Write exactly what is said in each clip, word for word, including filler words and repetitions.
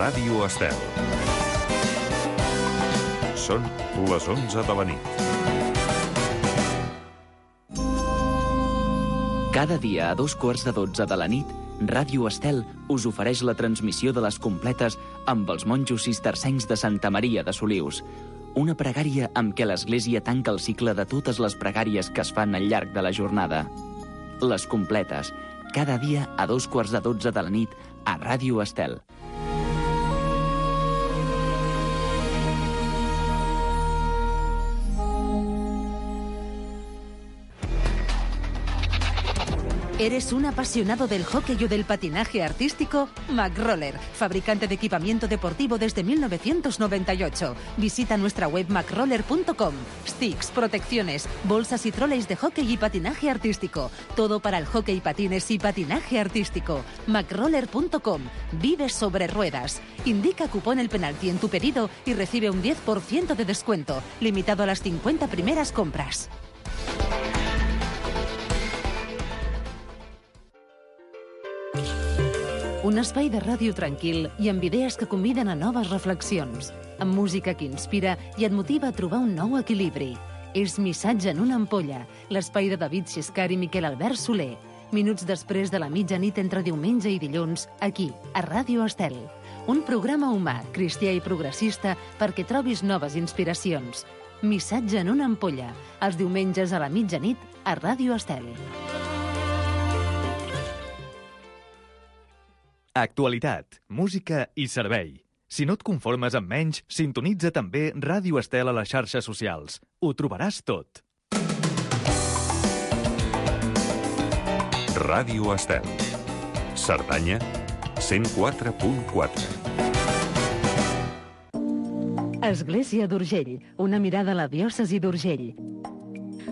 Ràdio Estel. Són les onze de la nit. Cada dia a dos quarts de dotze de la nit, Ràdio Estel us ofereix la transmissió de les completes amb els monjos cistercencs de Santa Maria de Solius. Una pregària amb què l'Església tanca el cicle de totes les pregàries que es fan al llarg de la jornada. Les completes, cada dia a dos quarts de dotze de la nit a Ràdio Estel. ¿Eres un apasionado del hockey o del patinaje artístico? McRoller, fabricante de equipamiento deportivo desde mil novecientos noventa y ocho. Visita nuestra web macroller punto com. Sticks, protecciones, bolsas y troleys de hockey y patinaje artístico. Todo para el hockey, patines y patinaje artístico. macroller punto com. Vive sobre ruedas. Indica cupón el penalti en tu pedido y recibe un diez por ciento de descuento, limitado a las cincuenta primeras compras. Un espai de ràdio tranquil i amb idees que conviden a noves reflexions, amb música que inspira i et motiva a trobar un nou equilibri. És Missatge en una ampolla, l'espai de David Xiscar i Miquel Albert Soler. Minuts després de la mitjanit entre diumenge i dilluns, aquí, a Ràdio Estel. Un programa humà, cristià i progressista perquè trobis noves inspiracions. Missatge en una ampolla, els diumenges a la mitjanit a Ràdio Estel. Actualitat, música i servei. Si no et conformes amb menys, sintonitza també Ràdio Estel a les xarxes socials. Ho trobaràs tot. Ràdio Estel. Cerdanya, cent quatre punt quatre. Església d'Urgell, una mirada a la diòcesi d'Urgell.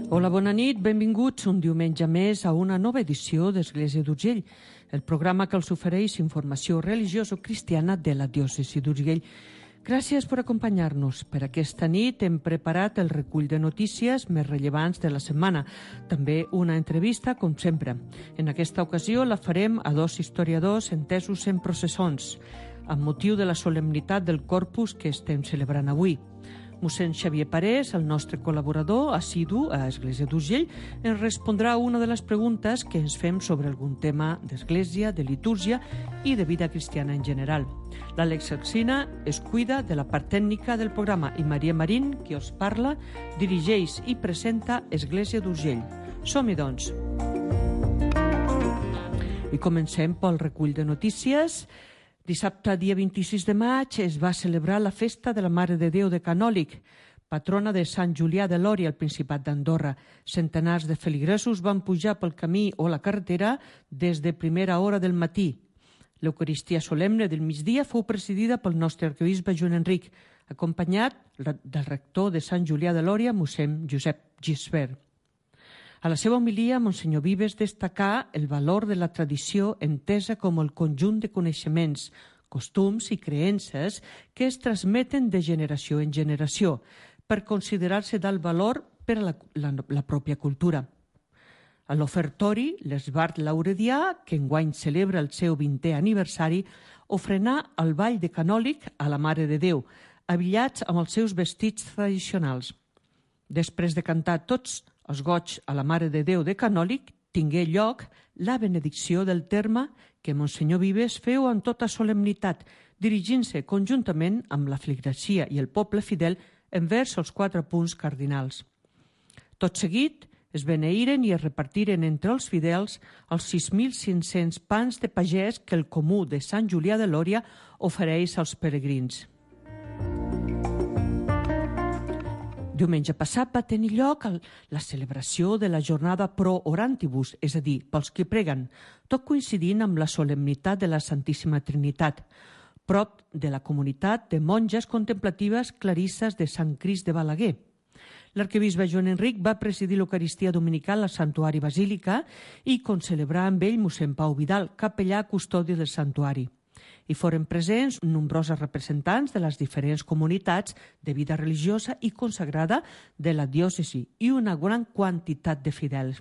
Hola, bona nit, benvinguts un diumenge més a una nova edició d'Església d'Urgell, el programa que els ofereix informació religioso-cristiana de la diòcesi d'Urgell. Gràcies per acompanyar-nos. Per aquesta nit hem preparat el recull de notícies més rellevants de la setmana. També una entrevista, com sempre. En aquesta ocasió la farem a dos historiadors entesos en processons, amb motiu de la solemnitat del Corpus que estem celebrant avui. Mossèn Xavier Parés, el nostre col·laborador assidu a Església d'Urgell, ens respondrà una de les preguntes que ens fem sobre algun tema d'església, de litúrgia i de vida cristiana en general. L'Àlex Alsina es cuida de la part tècnica del programa i Maria Marín, qui us parla, dirigeix i presenta Església d'Urgell. Som-hi, doncs. I comencem pel recull de notícies. Dissabte, dia vint-i-sis de maig, es va celebrar la festa de la Mare de Déu de Canòlig, patrona de Sant Julià de Lòria, al Principat d'Andorra. Centenars de feligresos van pujar pel camí o la carretera des de primera hora del matí. L'Eucaristia solemne del migdia fou presidida pel nostre arquebisbe Joan Enric, acompanyat del rector de Sant Julià de Lòria, mossèn Josep Gisbert. A la seva homilia, Monsenyor Vives destacà el valor de la tradició entesa com el conjunt de coneixements, costums i creences que es transmeten de generació en generació, per considerar-se d'alt valor per a la, la, la pròpia cultura. A l'ofertori, l'Esbart Lauredià, que enguany celebra el seu vintè aniversari, ofrenà el ball de Canòlig a la Mare de Déu, abillats amb els seus vestits tradicionals. Després de cantar tots els goig a la Mare de Déu de Canòlig, tingué lloc la benedicció del terme que Monsenyor Vives feu amb tota solemnitat, dirigint-se conjuntament amb la feligresia i el poble fidel envers els quatre punts cardinals. Tot seguit, es beneïren i es repartiren entre els fidels els sis mil cinc-cents pans de pagès que el comú de Sant Julià de Lòria ofereix als peregrins. Diumenge passat va tenir lloc la celebració de la jornada Pro Orantibus, és a dir, pels que preguen, tot coincidint amb la solemnitat de la Santíssima Trinitat, prop de la comunitat de monges contemplatives clarisses de Sant Crist de Balaguer. L'arquebisbe Joan Enric va presidir l'Eucaristia dominical al Santuari Basílica i concelebrar amb ell mossèn Pau Vidal, capellà custodi del santuari. Hi foren presents nombrosos representants de les diferents comunitats de vida religiosa i consagrada de la diòcesi i una gran quantitat de fidels.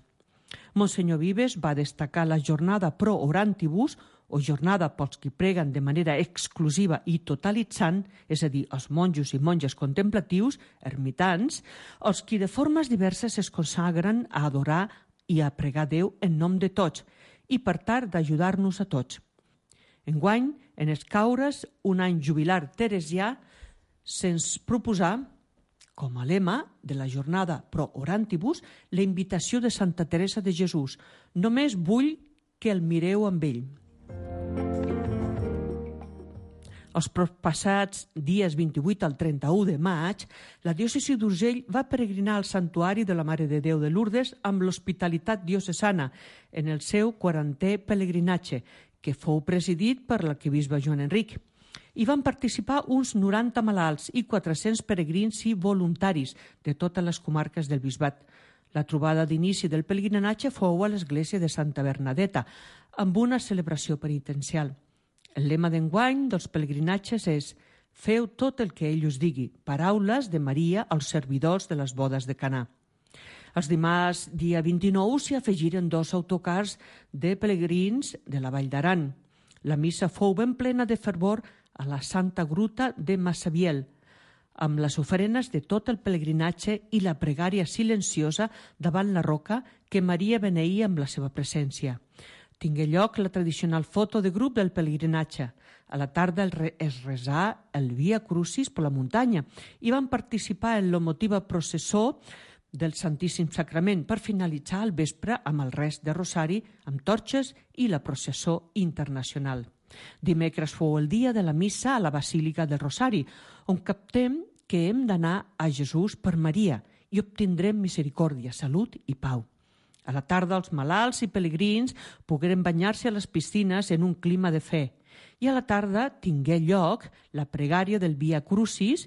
Monsenyor Vives va destacar la jornada Pro Orantibus, o jornada pels qui preguen de manera exclusiva i totalitzant, és a dir, els monjos i monges contemplatius, ermitans, els qui de formes diverses es consagren a adorar i a pregar Déu en nom de tots i per tal d'ajudar-nos a tots. Enguany, en escaure's un any jubilar teresià, se'ns proposà, com a lema de la jornada Pro Orantibus, la invitació de Santa Teresa de Jesús. Només vull que el mireu amb ell. Els proppassats dies vint-i-vuit al trenta-u de maig, la diòcesi d'Urgell va peregrinar al Santuari de la Mare de Déu de Lourdes amb l'Hospitalitat Diocesana en el seu quarantè pelegrinatge, que fou presidit per l'arquebisbe Joan Enric. Hi van participar uns noranta malalts i quatre-cents peregrins i voluntaris de totes les comarques del bisbat. La trobada d'inici del pelegrinatge fou a l'església de Santa Bernadeta, amb una celebració penitencial. El lema d'enguany dels pelegrinatges és «Feu tot el que ell us digui», paraules de Maria als servidors de les bodes de Canà. Els dimarts, dia vint-i-nou, s'hi afegiren dos autocars de pelegrins de la Vall d'Aran. La missa fou ben plena de fervor a la Santa Gruta de Massabiel, amb les ofrenes de tot el pelegrinatge i la pregària silenciosa davant la roca que Maria beneïa amb la seva presència. Tingué lloc la tradicional foto de grup del pelegrinatge. A la tarda es resà el Via Crucis per la muntanya i van participar en l'emotiva processó del Santíssim Sacrament per finalitzar el vespre amb el rest de rosari, amb torxes i la processó internacional. Dimecres fou el dia de la missa a la Basílica del Rosari, on captem que hem d'anar a Jesús per Maria i obtindrem misericòrdia, salut i pau. A la tarda, els malalts i pelegrins pogueren banyar-se a les piscines en un clima de fe. I a la tarda tingué lloc la pregària del Via Crucis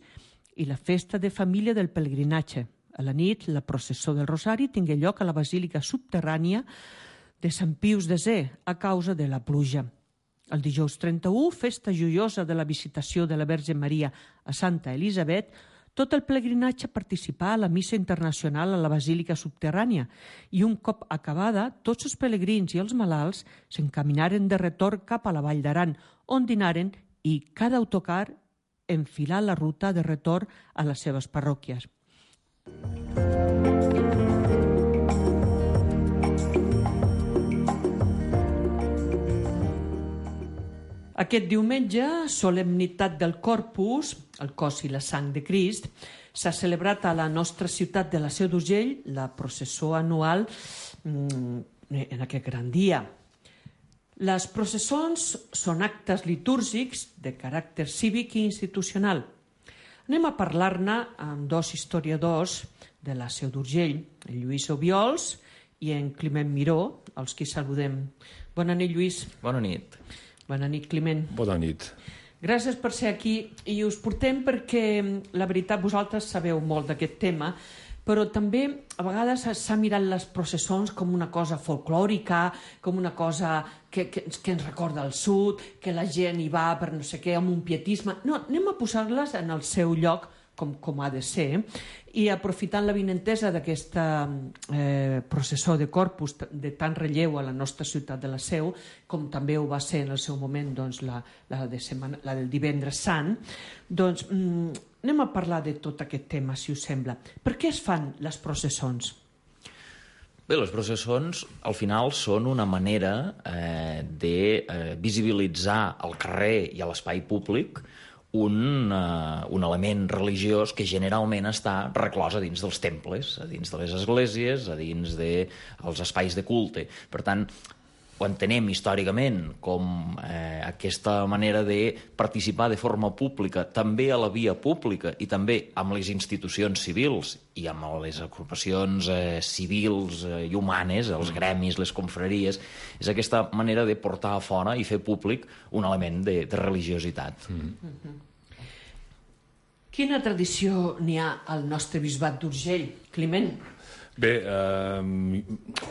i la festa de família del pelegrinatge. A la nit, la processó del Rosari tingué lloc a la Basílica Subterrània de Sant Pius desè a causa de la pluja. El dijous trenta-u, festa joiosa de la visitació de la Verge Maria a Santa Elisabet, tot el pelegrinatge participà a la missa internacional a la Basílica Subterrània i un cop acabada, tots els pelegrins i els malalts s'encaminaren de retorn cap a la Vall d'Aran, on dinaren i cada autocar enfilà la ruta de retorn a les seves parròquies. Aquest diumenge, solemnitat del Corpus, el cos i la sang de Crist, s'ha celebrat a la nostra ciutat de la Seu d'Urgell la processó anual en aquest gran dia. Les processons són actes litúrgics de caràcter cívic i institucional. Anem a parlar-ne amb dos historiadors de la Seu d'Urgell, en Lluís Obiols i en Climent Miró, els qui saludem. Bona nit, Lluís. Bona nit. Bona nit, Climent. Bona nit. Gràcies per ser aquí i us portem perquè, la veritat, vosaltres sabeu molt d'aquest tema, però també a vegades s'ha mirat les processons com una cosa folclòrica, com una cosa que, que, que ens recorda el sud, que la gent hi va per no sé què, amb un pietisme. No, anem a posar-les en el seu lloc, com, com ha de ser, i aprofitant la vinentesa d'aquesta eh, processó de Corpus de tant relleu a la nostra ciutat de la Seu, com també ho va ser en el seu moment doncs, la, la, de setmana, la del divendres sant, doncs mm, anem a parlar de tot aquest tema, si us sembla. Per què es fan les processons? Bé, les processons al final són una manera eh, de eh, visibilitzar al carrer i a l'espai públic un, uh, un element religiós que generalment està reclòs a dins dels temples, a dins de les esglésies, a dins dels espais de culte. Per tant, ho entenem històricament com eh, aquesta manera de participar de forma pública també a la via pública i també amb les institucions civils i amb les agrupacions eh, civils eh, i humanes, els gremis, les confraries, és aquesta manera de portar a fora i fer públic un element de, de religiositat. Mm. Mm-hmm. Quina tradició n'hi ha al nostre bisbat d'Urgell, Climent? Bé, eh,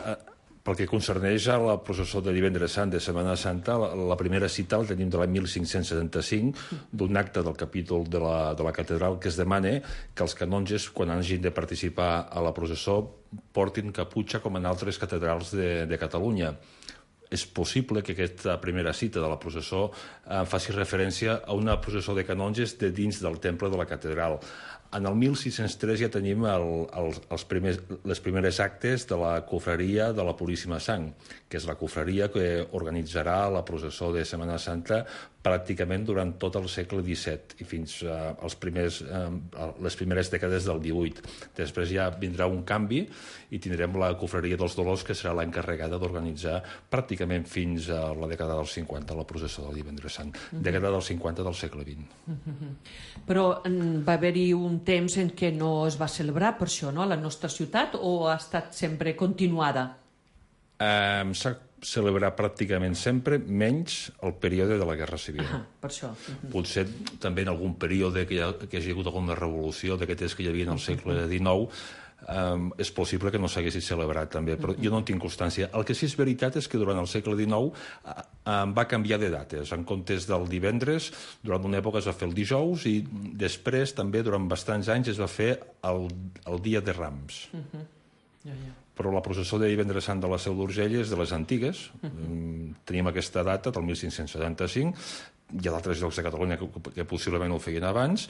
eh, pel que concerneix a la processó de divendres sant de Setmana Santa, la, la primera cita el tenim de l'any mil cinc-cents setanta-cinc, d'un acte del capítol de la, de la catedral que es demana que els canonges, quan hagin de participar a la processó, portin caputxa com en altres catedrals de, de Catalunya. és possible que aquesta primera cita de la processó eh, faci referència a una processó de canonges de dins del temple de la catedral. En el mil sis-cents tres ja tenim el, el, els primers, les primeres actes de la cofreria de la Puríssima Sang, que és la cofreria que organitzarà la processó de Setmana Santa pràcticament durant tot el segle disset i fins eh, als primers, eh, les primeres dècades del divuit. Després ja vindrà un canvi i tindrem la cofreria dels Dolors, que serà l'encarregada d'organitzar pràcticament fins a la dècada dels cinquanta, la processó del Divendres Sant. Dècada dels cinquanta del segle vint. Però va haver-hi un temps en què no es va celebrar per això, no?, a la nostra ciutat, o ha estat sempre continuada? Eh, S'ha celebrat pràcticament sempre, menys el període de la Guerra Civil. Ah, per això. Uh-huh. Potser també en algun període que hi, ha, que hi hagi hagut alguna revolució d'aquestes que hi havia en el segle dinou, Um, és possible que no s'haguessi celebrat també, però jo no en tinc constància. El que sí és veritat és que durant el segle dinou uh, um, va canviar de dates. En comptes del divendres, durant una època es va fer el dijous i després també durant bastants anys es va fer el, el dia de Rams. Uh-huh. Ja, ja. Però la processó de Divendres Sant de la Seu d'Urgell és de les antigues. Uh-huh. Tenim aquesta data del mil cinc-cents setanta-cinc. Hi ha d'altres llocs de Catalunya que, que possiblement ho feien abans.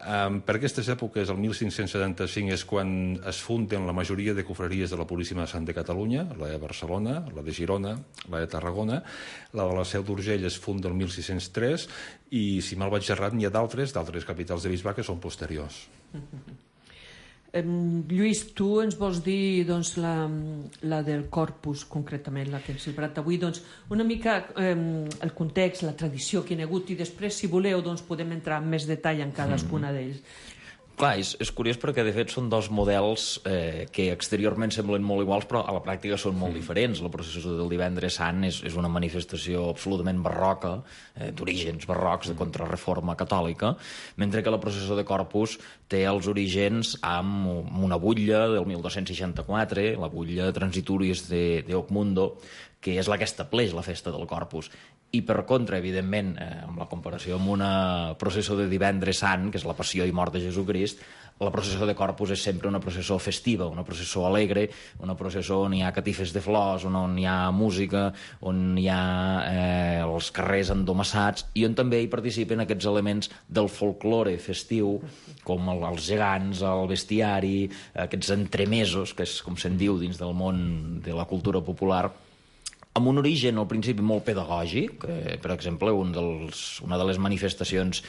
Um, per aquestes èpoques, el mil cinc-cents setanta-cinc és quan es funden la majoria de cofreries de la Puríssima Sant de Catalunya, la de Barcelona, la de Girona, la de Tarragona. La de la Seu d'Urgell es funda el mil sis-cents tres i, si mal vaig errat, n'hi ha d'altres, d'altres capitals de bisbat que són posteriors. Eh, Lluís, tu ens vols dir doncs, la, la del Corpus, concretament, la que hem celebrat avui, doncs, una mica eh, el context, la tradició que hi ha hagut, i després, si voleu, doncs, podem entrar en més detall en cadascuna d'ells. Clar, és, és curiós perquè, de fet, són dos models eh, que exteriorment semblen molt iguals, però a la pràctica són molt diferents. La processó del Divendres Sant és, és una manifestació absolutament barroca, eh, d'orígens barrocs, de contrarreforma catòlica, mentre que la processó de Corpus té els orígens amb una butlla del mil dos-cents seixanta-quatre, la butlla Transitoris de, de Ocmundo, que és la que estableix la festa del Corpus. I per contra, evidentment, eh, amb la comparació amb una processó de Divendres Sant, que és la passió i mort de Jesucrist, la processó de Corpus és sempre una processó festiva, una processó alegre, una processó on hi ha catifes de flors, on hi ha música, on hi ha eh, els carrers endomassats, i on també hi participen aquests elements del folklore festiu, com el, els gegants, el bestiari, aquests entremesos, que és com se'n diu dins del món de la cultura popular, amb un origen al principi molt pedagògic. Eh, per exemple, un dels, una de les manifestacions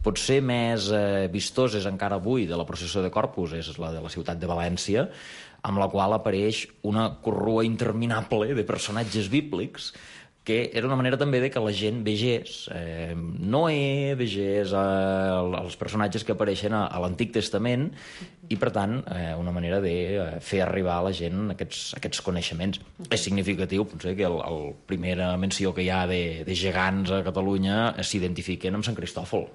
potser més eh, vistoses encara avui de la processó de Corpus és la de la ciutat de València, amb la qual apareix una corrua interminable de personatges bíblics, que era una manera també de que la gent vegés eh, Noé, vegés eh, els personatges que apareixen a, a l'Antic Testament, i per tant eh, una manera de eh, fer arribar a la gent aquests, aquests coneixements. És significatiu, potser, que el, el primera menció que hi ha de, de gegants a Catalunya s'identifiquen amb Sant Cristòfol,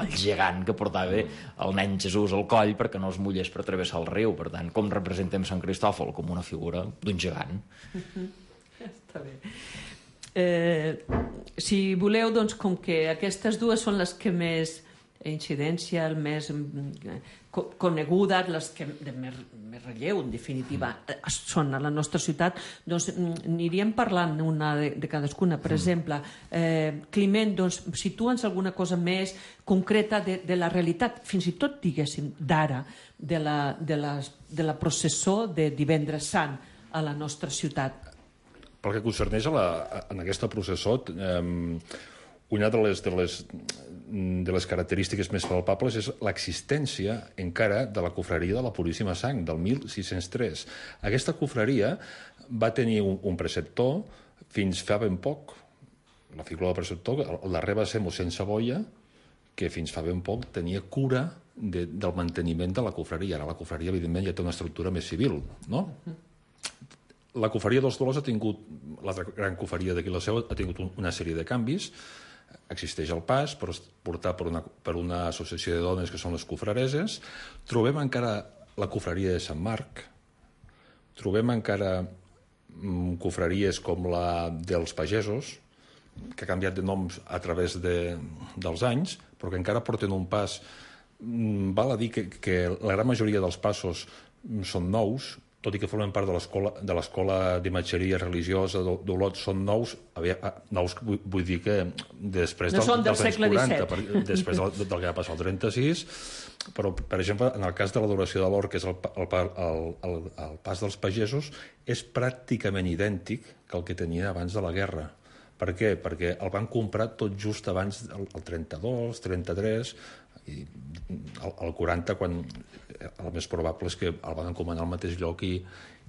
el gegant que portava el nen Jesús al coll perquè no es mullés per travessar el riu. Per tant, com representem Sant Cristòfol? Com una figura d'un gegant. Està bé. Eh, si voleu, doncs, com que aquestes dues són les que més incidència, el més co conegudes, les que de més, més relleu, en definitiva, són a la nostra ciutat, doncs aniríem parlant una de, de cadascuna. Per exemple, eh, Climent, doncs, situa'ns alguna cosa més concreta de, de la realitat, fins i tot, diguéssim, d'ara, de, la, de, la, de la processó de Divendres Sant a la nostra ciutat. Pel que concerneix a la, en aquesta processó, eh, una de les, de, les, de les característiques més palpables és l'existència encara de la cofreria de la Puríssima Sang, del mil sis-cents tres. Aquesta cofreria va tenir un, un preceptor fins fa ben poc. La figura del preceptor, el darrer va ser mossèn Saboia, que fins fa ben poc tenia cura de, del manteniment de la cofreria. Ara la cofreria, evidentment, ja té una estructura més civil, no? La cofreria dels Dolors ha tingut, l'altra gran cofreria d'aquí la Seu, ha tingut una sèrie de canvis. Existeix el pas, però és portat per una, per una associació de dones que són les cofrereses. Trobem encara la cofreria de Sant Marc. Trobem encara mm, cofreries com la dels pagesos, que ha canviat de noms a través de, dels anys, però que encara porten un pas. Mm, val a dir que, que la gran majoria dels passos són nous tot i que formen part de l'escola d'imatgeria religiosa d'Olot, són nous, nous vull, vull dir que després no del, del dels anys quaranta, per, després del, del que va passar el trenta-sis, però, per exemple, en el cas de l'adoració de l'or, que és el, el, el, el, el pas dels pagesos, és pràcticament idèntic que el que tenia abans de la guerra. Per què? Perquè el van comprar tot just abans del trenta-dos, trenta-tres, i el quaranta, quan el més probable és que el van encomanar al mateix lloc i,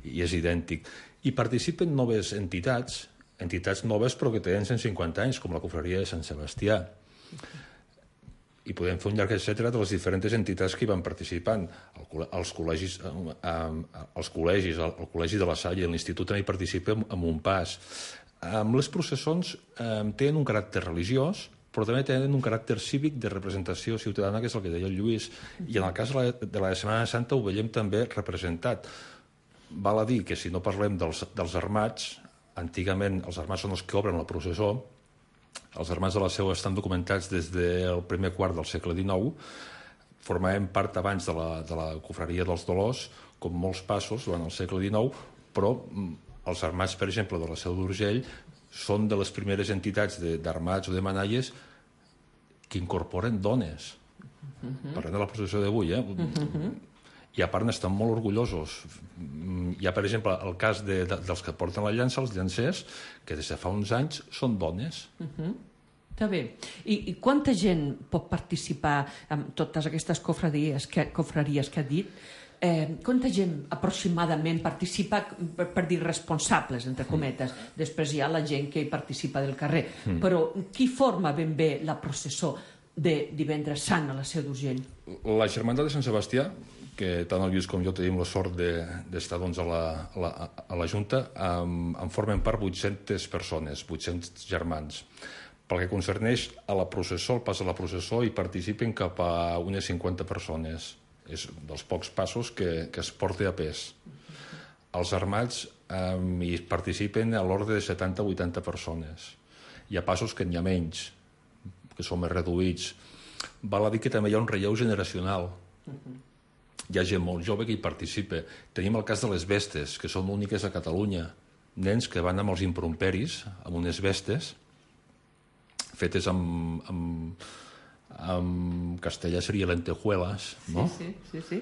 i és idèntic. I participen noves entitats, entitats noves però que tenen cent cinquanta anys, com la Confraria de Sant Sebastià. I podem fer un llarg etcètera de les diferents entitats que hi van participant. El, els col·legis, els col·legis, el, el Col·legi de la Salle, l'Institut també hi participa amb un pas. Les processons eh, tenen un caràcter religiós, però també tenen un caràcter cívic de representació ciutadana, que és el que deia el Lluís. I en el cas de la, de la Setmana Santa ho veiem també representat. Val a dir que si no parlem dels, dels armats, antigament els armats són els que obren la processó, els armats de la Seu estan documentats des del primer quart del segle dinou, formaven part abans de la, de la Confraria dels Dolors, com molts passos durant el segle dinou, però els armats, per exemple, de la Seu d'Urgell, són de les primeres entitats d'armats o de manalles que incorporen dones. Uh-huh. Parlem de la processó d'avui, eh? Uh-huh. I a part n'estan molt orgullosos. Hi ha, per exemple, el cas de, de, dels que porten la llança, els llancers, que des de fa uns anys són dones. Uh-huh. Està bé. I, I quanta gent pot participar en totes aquestes cofradies que, cofraries que ha dit? Eh, quanta gent aproximadament participa, per, per dir responsables, entre cometes, després hi ha la gent que hi participa del carrer, mm. però qui forma ben bé la processó de Divendres Sant a la Seu d'Urgell? La Germandat de Sant Sebastià, que tant el Lluís com jo tenim la sort d'estar doncs, a, la, a, la, a la Junta, en, en formen part vuit-centes persones, vuit-cents germans. Pel que concerneix a la processó, el pas a la processó, hi participen cap a unes cinquanta persones. És dels pocs passos que, que es porta a pes. Els armats eh, hi participen a l'ordre de setanta a vuitanta persones. Hi ha passos que n'hi ha menys, que són més reduïts. Val a dir que també hi ha un relleu generacional. Hi ha gent molt jove que hi participa. Tenim el cas de les vestes, que són úniques a Catalunya. Nens que van amb els impromperis, amb unes vestes, fetes amb... amb en castellà seria lentejuelas, no? Sí, sí, sí, sí.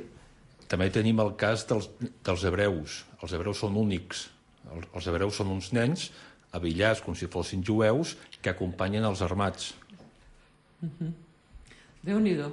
També tenim el cas dels, dels hebreus. Els hebreus són únics. Els, els hebreus són uns nens abillats com si fossin jueus que acompanyen els armats. Uh-huh. Déu-n'hi-do.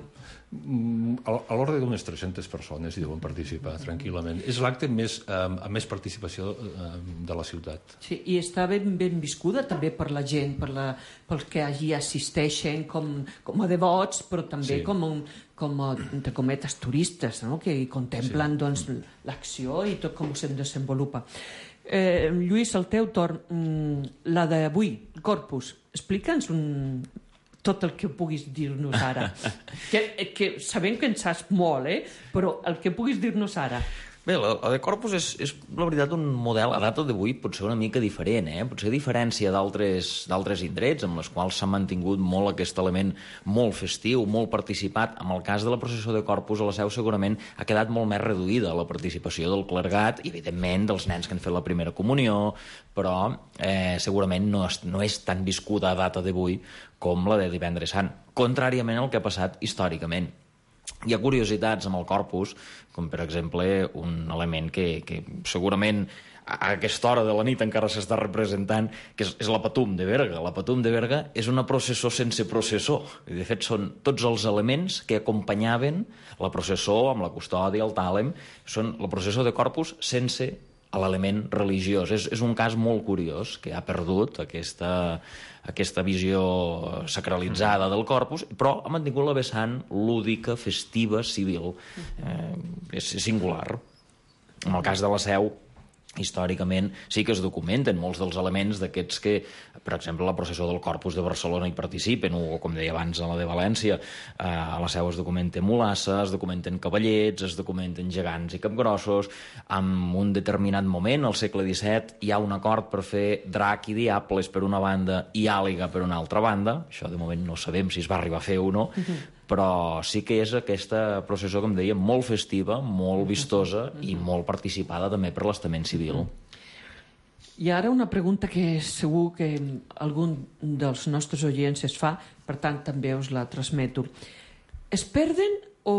A l'ordre d'unes tres-centes persones hi deuen participar tranquil·lament. És l'acte amb més, amb més participació de la ciutat. Sí, i està ben, ben viscuda també per la gent, per la, pels que allí assisteixen com, com a devots, però també sí. com, un, com a, entre cometes, turistes, no? Que hi contemplen sí. doncs, l'acció i tot com se'n desenvolupa. Eh, Lluís, el teu torn, la d'avui, Corpus, explica'ns un... tot el que puguis dir-nos ara. que, que sabem que en saps molt, eh? Però el que puguis dir-nos ara. Bé, la, la de Corpus és, és, la veritat, un model a data d'avui potser una mica diferent, eh? Potser a diferència d'altres indrets amb les quals s'ha mantingut molt aquest element molt festiu, molt participat. En el cas de la processó de Corpus, a la Seu segurament ha quedat molt més reduïda la participació del clergat i, evidentment, dels nens que han fet la primera comunió, però eh, segurament no és, no és tan viscuda a data d'avui com la de Divendres Sant, contràriament al que ha passat històricament. Hi ha curiositats amb el Corpus, com per exemple un element que, que segurament a aquesta hora de la nit encara s'està representant, que és, és la Patum de Berga. La Patum de Berga és una processó sense processó. De fet, són tots els elements que acompanyaven la processó amb la custòdia, el tàlem, són la processó de Corpus sense l'element religiós. És, és un cas molt curiós, que ha perdut aquesta, aquesta visió sacralitzada del Corpus, però ha mantingut la vessant lúdica, festiva, civil. Eh, és singular. En el cas de la Seu, històricament sí que es documenten molts dels elements d'aquests que, per exemple, la processó del Corpus de Barcelona hi participen, o com deia abans a la de València, eh, a la Seu es documenten Mulassa, es documenten cavallets, es documenten gegants i capgrossos. En un determinat moment, al segle disset, hi ha un acord per fer Drac i Diables per una banda i Àliga per una altra banda. Això de moment no sabem si es va arribar a fer o no, però sí que és aquesta processó, com deia, molt festiva, molt vistosa i molt participada també per l'estament civil. I ara una pregunta que segur que algun dels nostres oients es fa, per tant també us la transmeto. Es perden o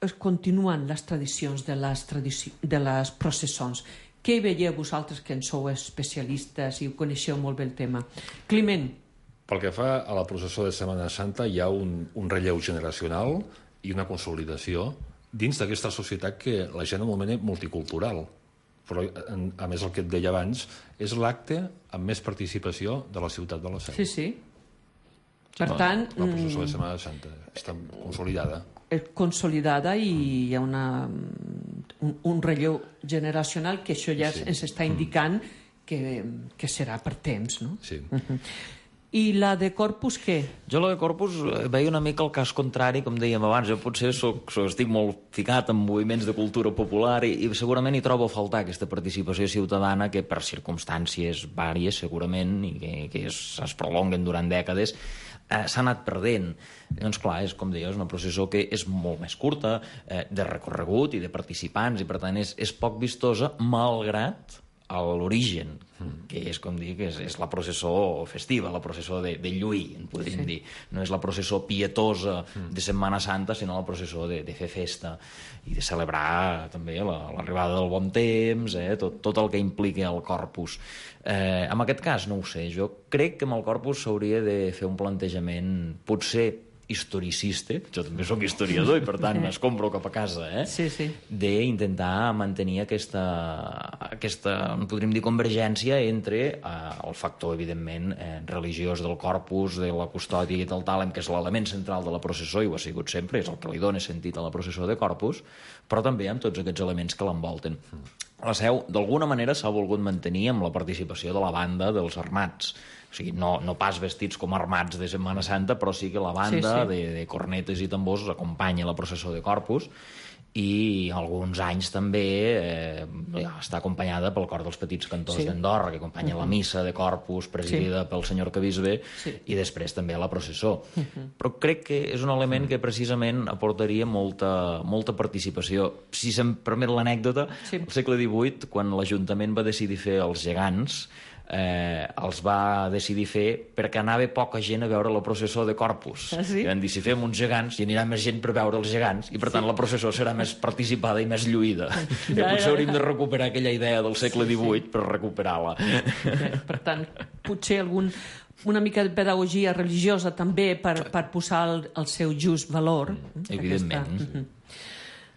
es continuen les tradicions de les, tradici de les processons? Què hi veieu vosaltres, que en sou especialistes i ho coneixeu molt bé el tema? Climent. Pel que fa a la processó de Setmana Santa, hi ha un, un relleu generacional i una consolidació dins d'aquesta societat que la gent anomena multicultural. Però, a més, el que et deia abans, és l'acte amb més participació de la ciutat de la Seu. Sí, sí. Per la, tant... La processó de Setmana Santa està consolidada. Consolidada i hi ha una, un, un relleu generacional que això ja sí. ens està indicant que, que serà per temps, no? Sí. Uh-huh. I la de Corpus, què? Jo la de Corpus veia una mica el cas contrari, com dèiem abans. Jo potser soc, soc, estic molt ficat en moviments de cultura popular i, i segurament hi trobo a faltar aquesta participació ciutadana que per circumstàncies vàries segurament i que, que es, es prolonguen durant dècades eh, s'ha anat perdent. Doncs clar, és com deia, és una processó que és molt més curta, eh, de recorregut i de participants, i per tant és, és poc vistosa, malgrat a l'origen, que és com dir que és, és la processó festiva, la processó de, de lluir, en podríem sí. dir. No és la processó pietosa de Setmana Santa, sinó la processó de, de fer festa i de celebrar també l'arribada la, del bon temps, eh, tot, tot el que implica el Corpus. Eh, en aquest cas, no ho sé, jo crec que amb el Corpus s'hauria de fer un plantejament potser historicista, jo també sóc historiador i per tant es compro cap a casa, eh? Sí, sí. D'intentar mantenir aquesta, aquesta, podríem dir, convergència entre eh, el factor, evidentment, eh, religiós del Corpus, de la custòdia i del Tàlem, que és l'element central de la processó i ho ha sigut sempre, és el que li dona sentit a la processó de Corpus, però també amb tots aquests elements que l'envolten. La Seu, d'alguna manera, s'ha volgut mantenir amb la participació de la banda dels armats. O sigui, no, no pas vestits com armats de Setmana Santa, però sí que la banda sí, sí. De, de cornetes i tambors acompanya la processó de Corpus i alguns anys també eh, està acompanyada pel cor dels petits cantors sí. d'Andorra, que acompanya uh -huh. la missa de Corpus presidida sí. pel senyor Arquebisbe sí. i després també la processó. Uh -huh. Però crec que és un element que precisament aportaria molta, molta participació. Si se'm permet l'anècdota, sí. al segle divuit, quan l'Ajuntament va decidir fer els gegants, Eh, els va decidir fer perquè anava poca gent a veure la processó de Corpus. Ah, sí? I van dir, si fem uns gegants, hi anirà més gent per veure els gegants i per tant sí. la processó serà més participada i més lluïda. Ja, I potser ja, ja. hauríem de recuperar aquella idea del segle divuit sí, sí. per recuperar-la. Ja, per tant, potser algun una mica de pedagogia religiosa també per, per posar el, el seu just valor. Mm, evidentment. Aquesta... Uh-huh.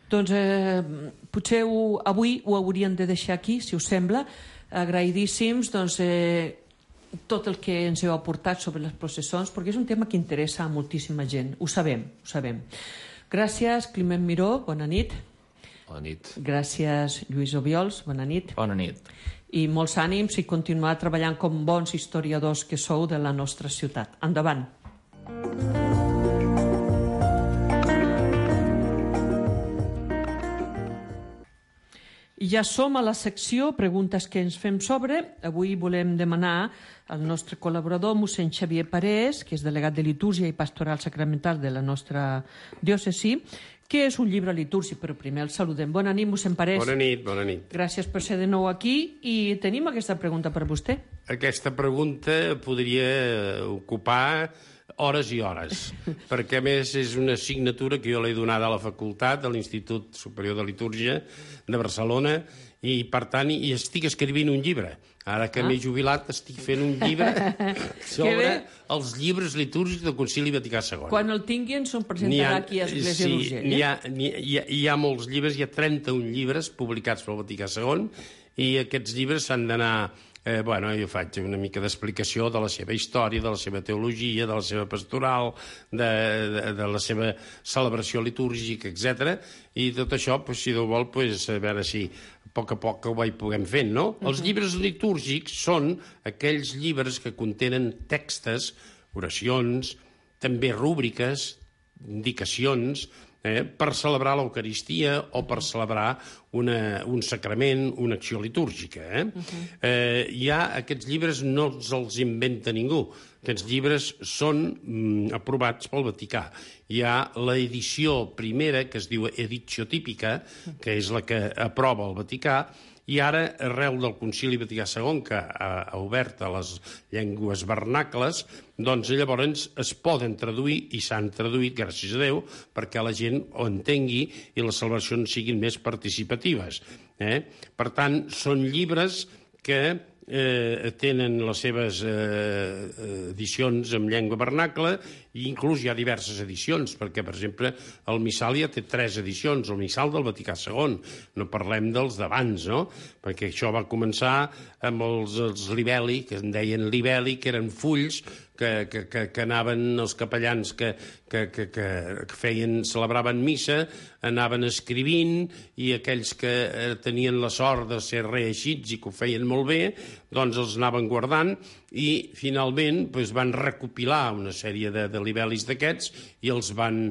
Doncs eh, potser ho, avui ho hauríem de deixar aquí, si us sembla. Agraïdíssims doncs, eh, tot el que ens heu aportat sobre les processons, perquè és un tema que interessa a moltíssima gent, ho sabem, ho sabem. Gràcies, Climent Miró, bona nit. Bona nit. Gràcies, Lluís Obiols, bona nit. Bona nit. I molts ànims i continuar treballant com bons historiadors que sou de la nostra ciutat. Endavant. I ja som a la secció Preguntes que ens fem sobre. Avui volem demanar al nostre col·laborador, mossèn Xavier Parés, que és delegat de Litúrgia i Pastoral Sacramental de la nostra diòcesi, què és un llibre litúrgic, però primer el saludem. Bona nit, mossèn Parés. Bona nit, bona nit. Gràcies per ser de nou aquí i tenim aquesta pregunta per vostè. Aquesta pregunta podria ocupar hores i hores, perquè a més és una assignatura que jo l'he donada a la facultat, a l'Institut Superior de Litúrgia de Barcelona, i per tant hi estic escrivint un llibre. Ara que ah. m'he jubilat estic fent un llibre sobre els llibres litúrgics del Concili Vaticà segon. Quan el tinguin se'n presentarà ha, aquí a Església sí, d'Urgell. Hi, ha, hi, ha, hi ha molts llibres, hi ha trenta-un llibres publicats pel Vaticà segon, i aquests llibres s'han d'anar... Eh, bueno, jo faig una mica d'explicació de la seva història, de la seva teologia, de la seva pastoral, de, de, de la seva celebració litúrgica, etcètera. I tot això, pues, si Déu vol, pues, a veure si a poc a poc ho vaig puguem fent, no? Uh-huh. Els llibres litúrgics són aquells llibres que contenen textos, oracions, també rúbriques, indicacions, eh, per celebrar l'Eucaristia o per celebrar una, un sacrament, una acció litúrgica. Eh? Uh-huh. eh, ja aquests llibres no els inventa ningú, Aquests llibres són mm, aprovats pel Vaticà. Hi ha l'edició primera, que es diu Editio Típica, que és la que aprova el Vaticà, i ara, arrel del Concili Vaticà segon, que ha, ha obert a les llengües vernacles, doncs llavors es poden traduir, i s'han traduït, gràcies a Déu, perquè la gent ho entengui i les celebracions siguin més participatives. Eh? Per tant, són llibres que eh, tenen les seves eh, edicions en llengua vernacla, i inclús hi ha diverses edicions, perquè, per exemple, el Missal ja té tres edicions, el Missal del Vaticà segon, no parlem dels d'abans, no? Perquè això va començar amb els, els libelli, que en deien libelli, que eren fulls que, que, que, que anaven els capellans que, que, que, que feien, celebraven missa, anaven escrivint, i aquells que tenien la sort de ser reeixits i que ho feien molt bé, doncs els anaven guardant, i finalment doncs, van recopilar una sèrie de, de libel·lis d'aquests i els van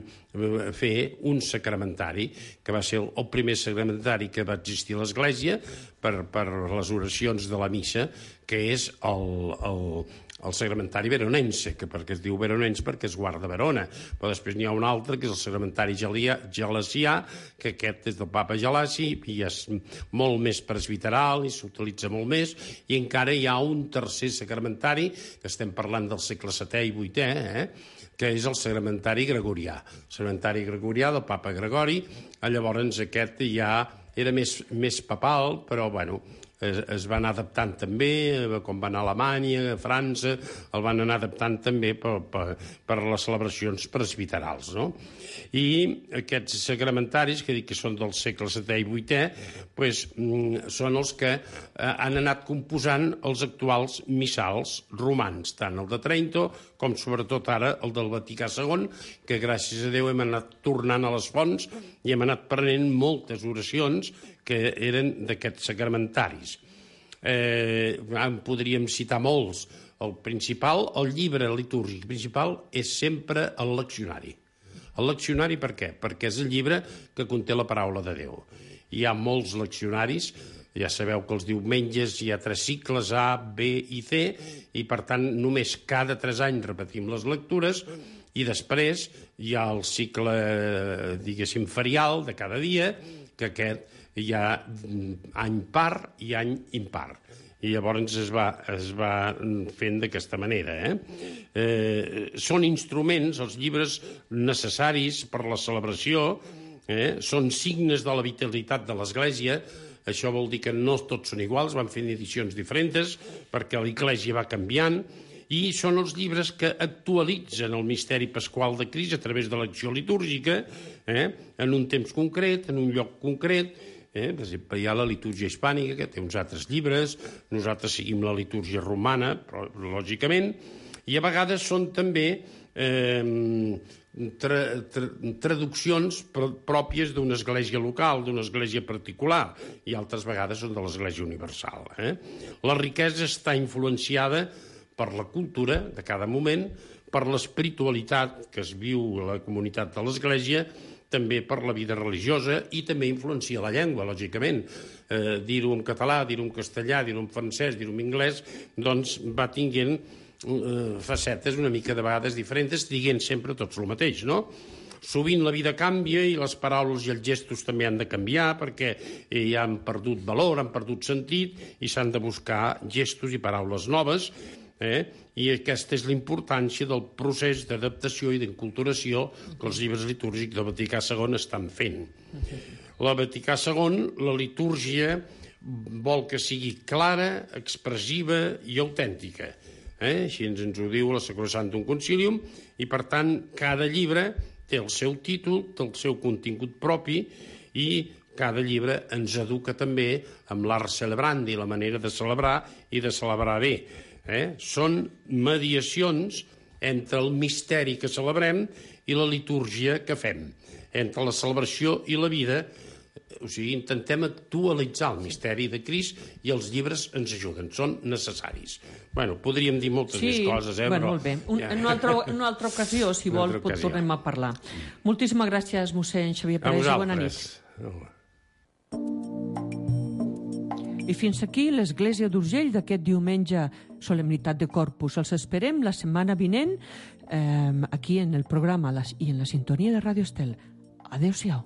fer un sacramentari, que va ser el, el primer sacramentari que va existir a l'Església per, per les oracions de la missa, que és el, el, el sacramentari veronense, que perquè es diu veronense perquè es guarda a Verona, però després n'hi ha un altre que és el sacramentari gelasià, que aquest és del papa Gelasi i és molt més presbiteral i s'utilitza molt més, i encara hi ha un tercer sacramentari, que estem parlant del segle setè i vuitè, eh? que és el sacramentari gregorià. El sacramentari gregorià del papa Gregori, llavors aquest ja era més, més papal, però bueno, es, es va anar adaptant també, com va anar a Alemanya, a França, el van anar adaptant també per, per, per les celebracions presbiterals, no? I aquests sacramentaris, que dic que són del segle setè i vuitè, pues, són els que eh, han anat composant els actuals missals romans, tant el de Trento com sobretot ara el del Vaticà segon, que gràcies a Déu hem anat tornant a les fonts i hem anat prenent moltes oracions que eren d'aquests sacramentaris. Eh, en podríem citar molts. El principal, el llibre litúrgic principal, és sempre el leccionari. El leccionari per què? Perquè és el llibre que conté la paraula de Déu. Hi ha molts leccionaris, ja sabeu que els diumenges hi ha tres cicles, A, B i C, i per tant només cada tres anys repetim les lectures, i després hi ha el cicle, diguéssim, ferial de cada dia, que aquest hi ha any par i any impar. I llavors es va, es va fent d'aquesta manera. Eh? Eh, són instruments, els llibres necessaris per la celebració, eh? Són signes de la vitalitat de l'Església. Això vol dir que no tots són iguals, van fent edicions diferents, perquè l'Església va canviant, i són els llibres que actualitzen el misteri pasqual de Crist a través de l'acció litúrgica, eh? en un temps concret, en un lloc concret. Eh? Per exemple, hi ha la litúrgia hispànica, que té uns altres llibres, nosaltres seguim la litúrgia romana, però, lògicament, i a vegades són també eh, tra tra traduccions pr pròpies d'una església local, d'una església particular, i altres vegades són de l'església universal. Eh? La riquesa està influenciada per la cultura de cada moment, per l'espiritualitat que es viu a la comunitat de l'església, també per la vida religiosa, i també influencia la llengua, lògicament. Eh, dir-ho en català, dir-ho en castellà, dir-ho en francès, dir-ho en anglès, doncs va tinguent eh, facetes una mica de vegades diferents, dient sempre tots el mateix, no? Sovint la vida canvia i les paraules i els gestos també han de canviar perquè ja han perdut valor, han perdut sentit i s'han de buscar gestos i paraules noves. Eh? I aquesta és la importància del procés d'adaptació i d'enculturació que els llibres litúrgics del Vaticà segon estan fent. La Vaticà segon, la litúrgia, vol que sigui clara, expressiva i autèntica. Eh? Així ens, ens ho diu la Sacrosanctum Concilium, i per tant cada llibre té el seu títol, té el seu contingut propi, i cada llibre ens educa també amb l'art celebrandi, la manera de celebrar i de celebrar bé. Eh? Són mediacions entre el misteri que celebrem i la litúrgia que fem, entre la celebració i la vida. O sigui, intentem actualitzar el misteri de Crist i els llibres ens ajuden, són necessaris. Bueno, podríem dir moltes sí, més coses, eh? Bueno, però... molt bé. Un, ja. En, una altra, en una altra ocasió, si vol, pot tornem a parlar. Moltíssimes gràcies, mossèn Xavier Parés, i bona nit. I fins aquí l'Església d'Urgell d'aquest diumenge, solemnitat de Corpus. Els esperem la setmana vinent eh, aquí en el programa i en la sintonia de Ràdio Estel. Adéu-siau.